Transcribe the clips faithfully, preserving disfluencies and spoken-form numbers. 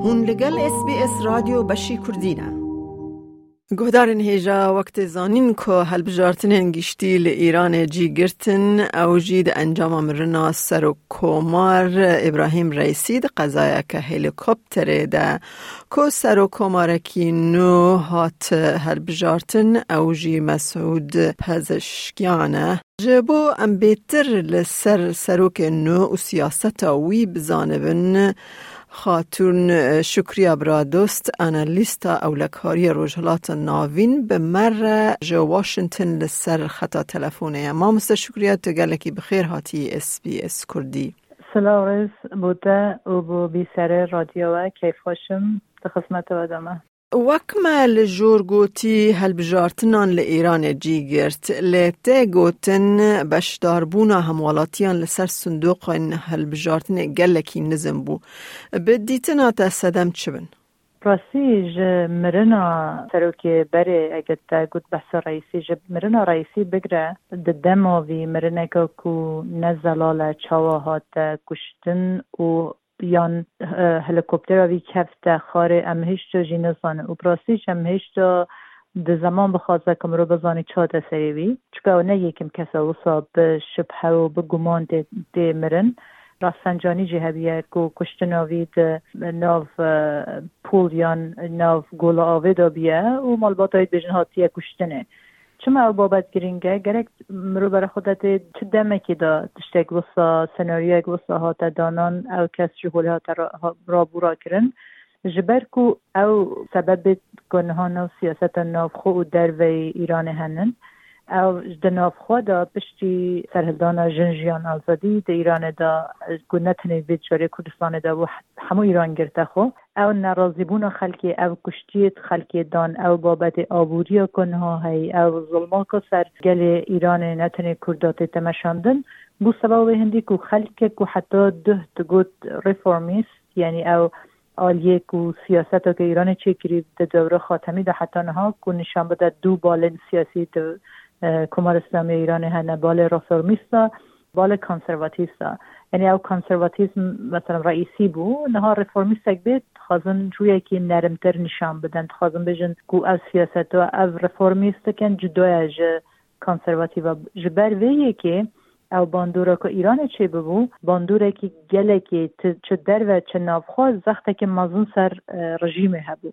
Hûn li gel S B S Radyo Beşî Kurdî ne. Guhdarên hêja, wek tê zanîn ku hilbijartinên giştî li Îranê cî girtin, ew jî di encama mirina Serokkomar Îbrahîm Reîsî di qezayeke helîkopterê de ku serokkomarekî nû hat hilbijartin, ew jî Mesûd Pezişkiyan e. Ji bo em bêtir li ser serokê nû û siyaseta wî bizanibin, Xatûn Şukriya Biradost, analîsta ewlekariyê Rojhilata Navîn, bi me re ji Washington li ser xeta telefonê ye. Mamoste Şukriya, tu gelekî bi xêr hatî S B S Kurdî. Silav rêz bo te û bo bîserê radyoya we, keyfxweş im, di xizmeta we de me. Wek me li jor gotî, hilbijartinan li Îranê cî girt. Lê tê gotin, beşdarbûna hemwelatiyan li ser sindoqên hilbijartinê gelekî nizm bû. Bi dîtina te sedem çi bin? Rastî, ji mirina serokê berê, eger te got behsa Reîsî, ji mirina Reîsî bigre, di dema vî mirineke ku ne zelal e, çawa hate kuştin û yan, e, helîkoptera vî kefte xarê, em hêşta jî nizanin. Û bi rastî jî em hêşta di zeman bixwaze ku mirov bizanî çi hate serê wî. Çika ew ne yekim kes e wisa bi şibhe û bi guman tê, tê mirin. Rafsancanî jî hebiye ku kuştina vî di nav, e, pûl yan nav gola avê de biye û malbata wî dibêjin hatiye kuştinê. Çima ew babet girîng e? Gerek mirov bere xwe de tê çi demekê de tiştek wisa, senaryoyek wisa hate danan, ew kes ji holê hate ra-, ha-, rabûra kirin. Ji ber ku ew sebebê ku niha nav siyaseta navxwe û derveyî Îranê henin, ew di navxwe de piştî serhildana Jin Jiyan Azadî di Îranê de, ku ne tenê vê carê Kurdistanê de bû, hemû Îran girte xwe. Ew nerazîbûna xelkê, ev kuştiyê xelkê dan, ew babetê aboriya ku niha heyî, ew zilma ku ser gelê Îranê ne tenê Kurda tê temeşandin, bû sebeba wê hindî ku xelkê ku heta duh digot reformîst, yanî ew aliyê ku siyaseta ku Îranê çêkirî di dewra Xatemî de heta niha ku nîşan bide du balên siyasî di, e, Komara Îslamî ya Îranê hene, balê reformîst a, balê konservatîst a. Yanî ew konservatîzm, mesela Reîsî bû, niha reformîstek bê, dixwazin rûyekî nerimtir nîşan bidin. Dixwazin bêjin ku ev siyaseta ev reformîst dikin, cuda ye ji konservatîva. Ji ber vê yekê ew bandora ku Îranê çêbibû, bandorekî gelekî ti-, çi derve çi navxwe zextekî mezin ser, e, rejîmê hebû.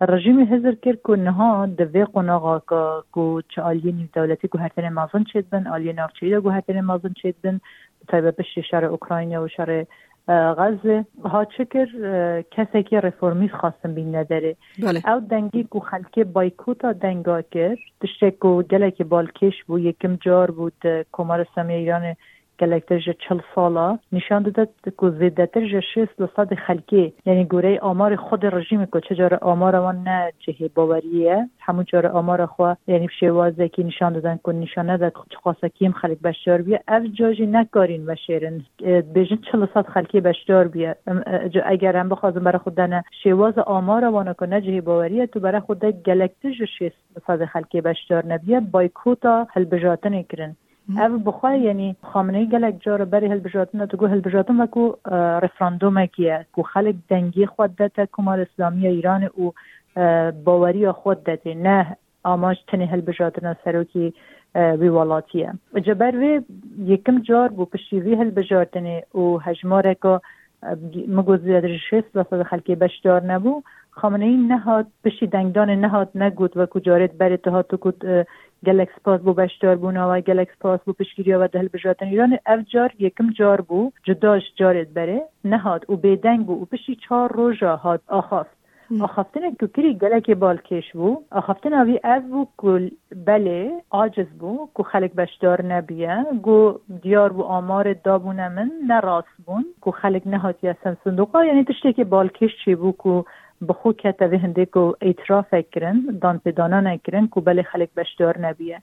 Rejîmê hizir kir ku niha di vê qonaxa ku, ku çi aliyê nîvdewletî guhertinê mezin çêdibin, aliyê navçeyî de guhertinê mezin çêdibin, bi taybet piştî şerê Ukrayna û şerê, e, Xezê, ha çi kir, e, kesekî reformîst xwestin bîne derê. Belê. Ew dengî ku xelkê baykota denga kir, tiştek ku gelekî balkêş bû, yekim car bû di Komara Îslamî ya Îranê gelektir ji çil sala nîşan dide ku zêdetir ji şêst li sedê xelkê, yanî goreyê amarê xwedê rejîmê ku çi cara amara wan ne cihê baweriyê ye, hemû cara amara xwe, yanî bi şêwazekî nîşan didin ku nîşan nede çiqasa kêm xelk beşdar bûye. Ev ca jî nekarîn veşêrin, e, dibêjin çil li sed xelkê beşdar bûye. Em, e, ca eger em bixwazin bere xwe dene şêwaza amara wana ku ne cihê baweriyê, tu bere xwe de gelektir ji şêst li sedê xelkê beşdar nebûye, baykota hilbijartinê kirin. Hı. Ev bi xwe, yanî Xameneî gelek cara berê hilbijartina digot, hilbijartin wekû, e, referandumekî ye, ku xelk dengê xwe dete Komara Îslamî ya Îranê û, e, baweriya xwe dete, ne amac tenê hilbijartina serokê, e, wî welatî ye. Ji ber vê yekim car bû piştî vî hilbijartinê û hejmareka, e, min got zêdetir ji şêst li sedê xelkê beşdar nebû. Xameneî nehat, piştî dengdanê nehat negot, wekû carê berê dihat digot, e, gelek spas bo beşdarbûna we, gelek spas bo piştgiriya we di hilbijartina Îranê. Ev car yekim car bû, cuda ji carê berê nehat û bêdeng bû û piştî çar roja hat axaft. Hı. Axaftinek ku kirî gelekê balkêş bû. Axaftina vî ev bû ku belê aciz bû, ku xelk beşdar nebiye, ku diyar bû amarê dabûne min ne rast bûn, ku xelk nehatiye ser sindoqa, yanî tiştekî balkêş çêbû ku bi xwe kete vê hindê ku îtirafek kirin, danpêdanan kirin ku belê xelk beşdar nebiye.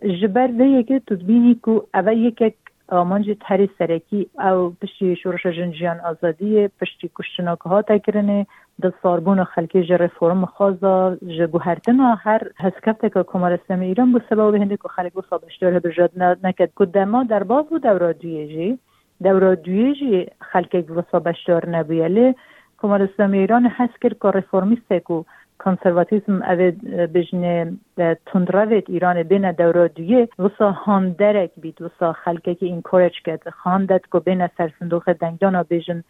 Ji ber vê yekê tu dibînî ku ev e yekek amancê herî serekî, ew piştî Şoreşa Jin Jiyan Azadiyê, piştî kuştina ku hate kirinê, dilsarbûna xelkê ji reformxwaza, ji guhertina her hezkefteke Komara Îslamî Îran bû sebeba wê hindê ku xelk wisa beşdar hilbijartina neket. Ku dema derbas bû dewra duyê jî, dewra duyê jî xelkek wisa beşdar nebûye. Lê Komara Îslamî ya Îranê hez kir ku reformîstek û konservatîzm, ev ê, e, bêjinê, e, tundrevêt Îranê bêne dewra duyê, wisa handerek bît, wisa xelkekî encourage ket, handet ku bêne ser sindoqê dengdana bêjin,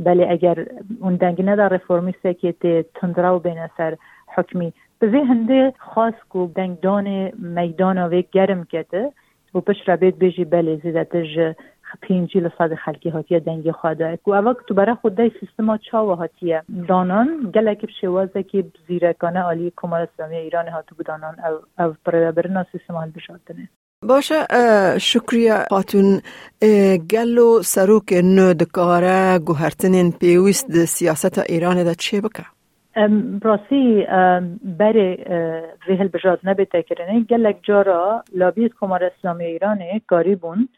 belê eger hûn deng neda reformîstekê tê tundrew bêne ser hukmî. Bi vê hindê xwest ku dengdanê meydana vê germ kete û piştre bêt bêjî belê zêdetir ji pêncî li sedî xelkê hatiye dengê xwe de. Ku eva ku tu bere xwe dey sîstema çawa hatiye danan, gelek bi şêwazekî zîrekane alî Komara Îslamî ya Îranê hatibû danan ev, ev birêvebirina sîstema hilbijartinê. Baş e, e, Şukriye Xatûn, e, gelo serokê nû dikare guhertinên pêwîst di siyaseta Îranê de çê bike? Em, bi rastî, em, berê, e, vê hilbijartinê bête kirinê, gelek cara labiyê Komara Îslamî ya Îranê karîbûn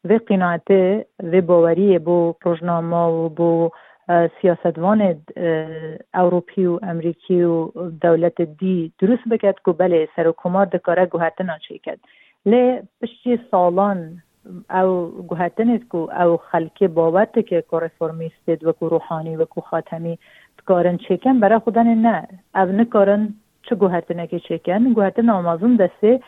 vê qînaetê, vê baweriyê bo rojnama û bo, e, siyasetvanê, e, Ewropî û Emerîkî û dewletê dî dirust biket ku belê serokkomar dikare guhertina çêket. Lê piştî salan ew guhertinê ku ew xelkê bawer dike ku reformîstê wekû Ruhanî, wekû Xatemî dikarin çêkin, bera xwe danê ne. Ev nikarin çi guhertinekê çêkin. Guhertina mezin destê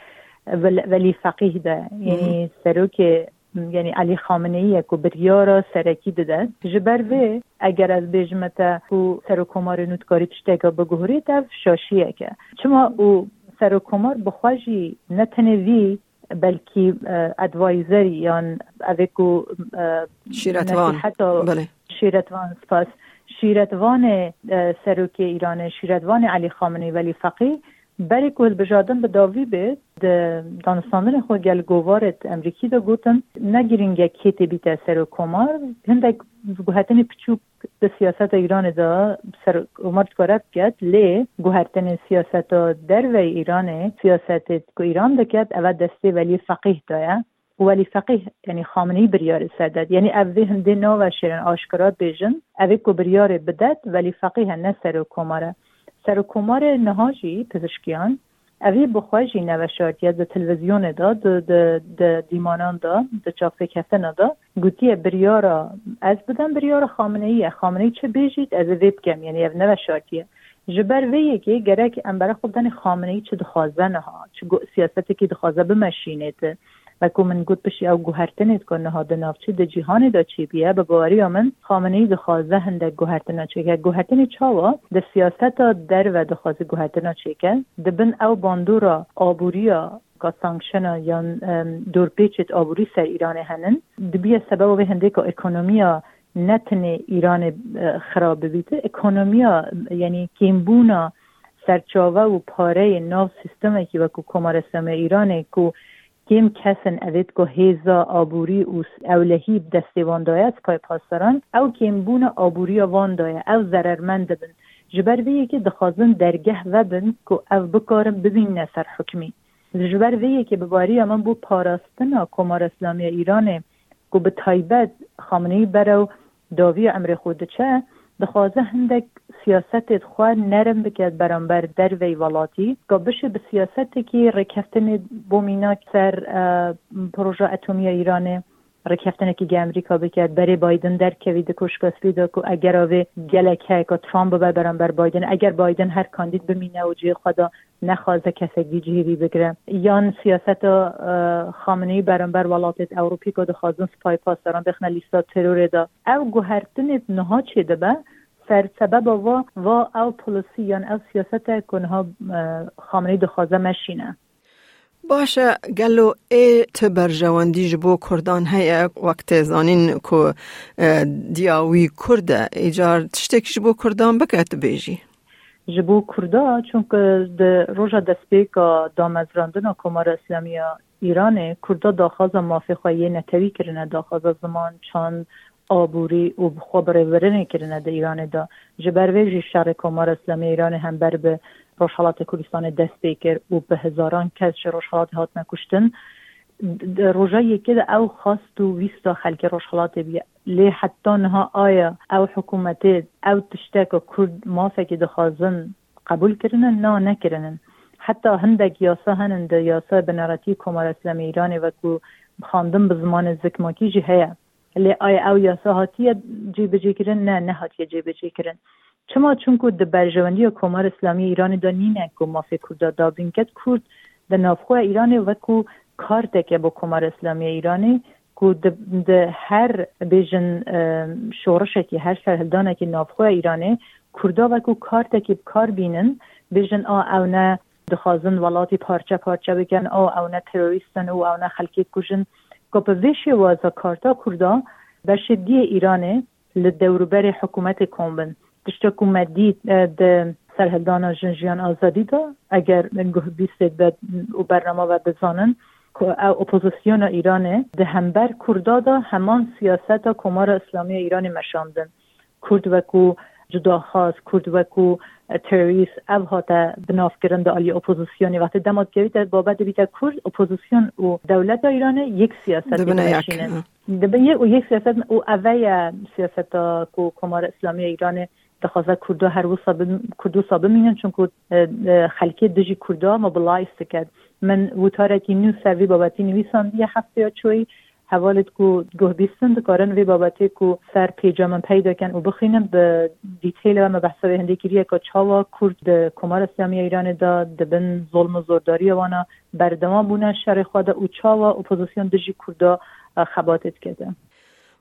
Vel-, Velî Feqîh de, yanî serokê, yanî Elî Xameneî ye ku biryara serekî dide. Ji ber vê, eger ez bêjime te ku serokkomarê nû dikarî tişteke biguhurît, ev şaşiyek e. Çima û serokkomar bi xwe jî ne tenê vî, belkî, e, adviser yan evê ku, e, Şîretvan. Nesîheta Belê. Şîretvan, spas. Şîretvanê, e, serokê Îranê, şîretvanê Elî Xameneî Velî Feqî, berê ku hilbijartin bi dawî bê, di danûstandinê xwe gel govarê Emerîkî de gotin, ne girîng e kê tê bîte serokkomar, hindek guhertinê piçûk di siyaseta Îranê de serokkomar dikare biket, lê guhertinê siyaseta derveyî Îranê, siyasetê ku Îran diket, eve destê Welî Feqîh de ye. Û Welî Feqîh, yanî Xameneî biryarê ser de. Yanî ev vê hindê naveşêrin, aşkera bêjin, evê ku biryarê bidet, Welî Feqîh e, ne serokkomar e. Serokkomarê niha jî Pizişkiyan, evî bi xwe jî neveşartiye di televîzyonê de, di, di, di dîmanan de, di çavpêkeftina de, gotiye biryara ez bidim, biryara Xameneî ye. Xameneî çi bêjît, ez ê vê bikim. Yanî ev neveşartiye. Ji ber vê yekê gerek em bere xwe bidanê Xameneî çi dixwaze niha, çi gu-, siyasetekî dixwaze bimeşînê ti. Wekû min got piştî ew guhertinê ku niha di navçê di cîhanê de çêbûye, bi baweriya min Xameneî dixwaze hindek guhertina çêke. Guhertinê çawa? Di siyaseta derve dixwaze guhertina çêke. Di bin ew bandora aboriya ka sankşena yan, em, dorpêçêt aborî ser Îranê henin, dibiye sebeba vê hindê ka ekonomiya ne tenê Îranê, e, xirab bibîte, ekonomiya, yanî kêmbûna serçave û pareyê nav sîstemekî wekû Komara Îslamî ya Îranê ku kêm kes in evêt ku hêza aborî û ewlehî bi destê wan daye, Sipayê Pasdaran, ew kêmbûna aboriya wan daye, ew zerermend dibin. Ji ber vê yekê dixwazin dergeh vebin ku ev bikarin bibîne ser hukmî. Ji ber vê yekê bi bariya min bû parastina Komara Îslamî ya Îranê ku bi taybet Xameneî berew dawiya emrê xwe diçe, dixwaze hindek siyasetê xwe nerm bike beramber derveyî welatî, ka bişê bi siyasetekî rêkeftinê bo mînak ser, e, proje atomî ya Îranê rêkeftinekî ge Amerîka bike, berê Biden derkevî di Koşka Spî de ku eger avê gelek heye ka Trump bibe beramber Biden, eger Biden her kandîd bimîne û cihê xwe de nexwaze kesek vî cihê vî bigire. Yan siyaseta, e, Xameneî beramber welatêt Ewropî ku dixwazin Sipayê Pasdaran bêxine lîsta terorê de. Ew guhertinêt niha çêdibe, ser sebeba va, va ew polîsî yan ew siyasete ku niha, e, Xameneî dixwaze meşîne. Baş e, gelo ê ti berjewendî ji bo Kurdan heye, wek tê zanîn ku, e, diya wî Kurd e, îcar tiştekî ji bo Kurdan bike, tu bêjî? Ji bo Kurda, çunku di roja destpêka damezrandina Komara Îslamî ya Îranê, Kurda daxwaza mafê xwe yê netewî kirine, daxwaza ziman, çand, aborî û bi xwe birêvebirinê kirine di Îranê de. Ji ber vê jî şerê Komara Îslamî ya Îranê hember bi Rojhelatê Kurdistanê dest pê kir û bi hezaran kes ji Rojhelatê hatine kuştin. Di roja yekê de ew xwest û wîsta xelkê Rojhelatê bûye. Lê heta niha aya ew hikûmetê ew tişteka Kurd mafekî dixwazin qebûl kirine? Na, nekirinin. Heta hindek yasa henin di yasaya bineretî Komara Îslamî Îranê wekû xwendin bi zimanê zikmakî jî heye. Lê aya ew yasa hatiye cêbicêkirin? Ne, nehatiye cêbicêkirin. Çima? Çunku di berjewendiya Komara Îslamî ya Îranê de nîne ku mafê Kurda dabîn ket. Kurd di navxweya Îranê wekû karteke bo Komara Îslamî ya Îranê ku di, di her bêjin, e, şorişekî, her serhildanekî navxweya Îranê Kurda wekû kartekî bi kar bînin, bêjin a ew ne dixwazin welatî parçe parçe bikin, a ew ne terorîst in û ew ne xelkê kujin. Ku bi vê şêwaza karta Kurda beşê diyê Îranê li dewrûberê hikûmetê kom bin. Tişta ku me dît, e, di serhildana Jin Jiyan Azadî de, eger guhbîstê be û bernama ve bizanin, ku ew opozisyona Îranê di hember Kurda de heman siyaseta Komara Îslamî ya Îranê meşandin. Kurd wekû cudaxwaz, Kurd wekû, e, terorîst, ev hate binavkirin di aliyê opozisyonê. Wextê dema dikevîte babet dibîte Kurd, opozisyon û dewleta Îranê yek siyaset Dibine yek, dimeşînin. Hı. Dibin yek û yek siyaset û ev e siyaseta ku Komara Îslamî ya Îranê dixwaze Kurda her wisa bim-, Kurd wisa bimînin, çunku, e, e, xelkê dijî Kurda mobilize diket. Min witarekî nû ser vî babetî nivîsandiye hefteya çûyî. Hevalêt ku guhbîstin dikarin vê babetê ku ser pêca min peyda kin û bixwînin, bi dîteyl ve me behsa wê hindê kiriye ku çawa Kurd di Komara Îslamî ya Îranê de di bin zolm û zordariya wana berdewam bûne şerê xwe de û çawa opozisyon dijî Kurda, e, xebatê dikete.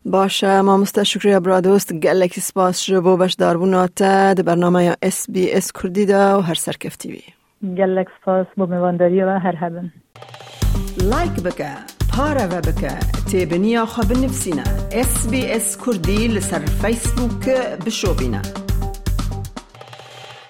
Baş e, mamoste Şukriya Biradost, gelekî spas ji bo beşdarbûna te di bernameya S B S Kurdî de û her serkeftî bî. Gelek spas bo mêvandariya we, her hebin. Like bike, pareve bike, têbiniya xwe binivîsîne. S B S Kurdî li ser Facebook bişopîne.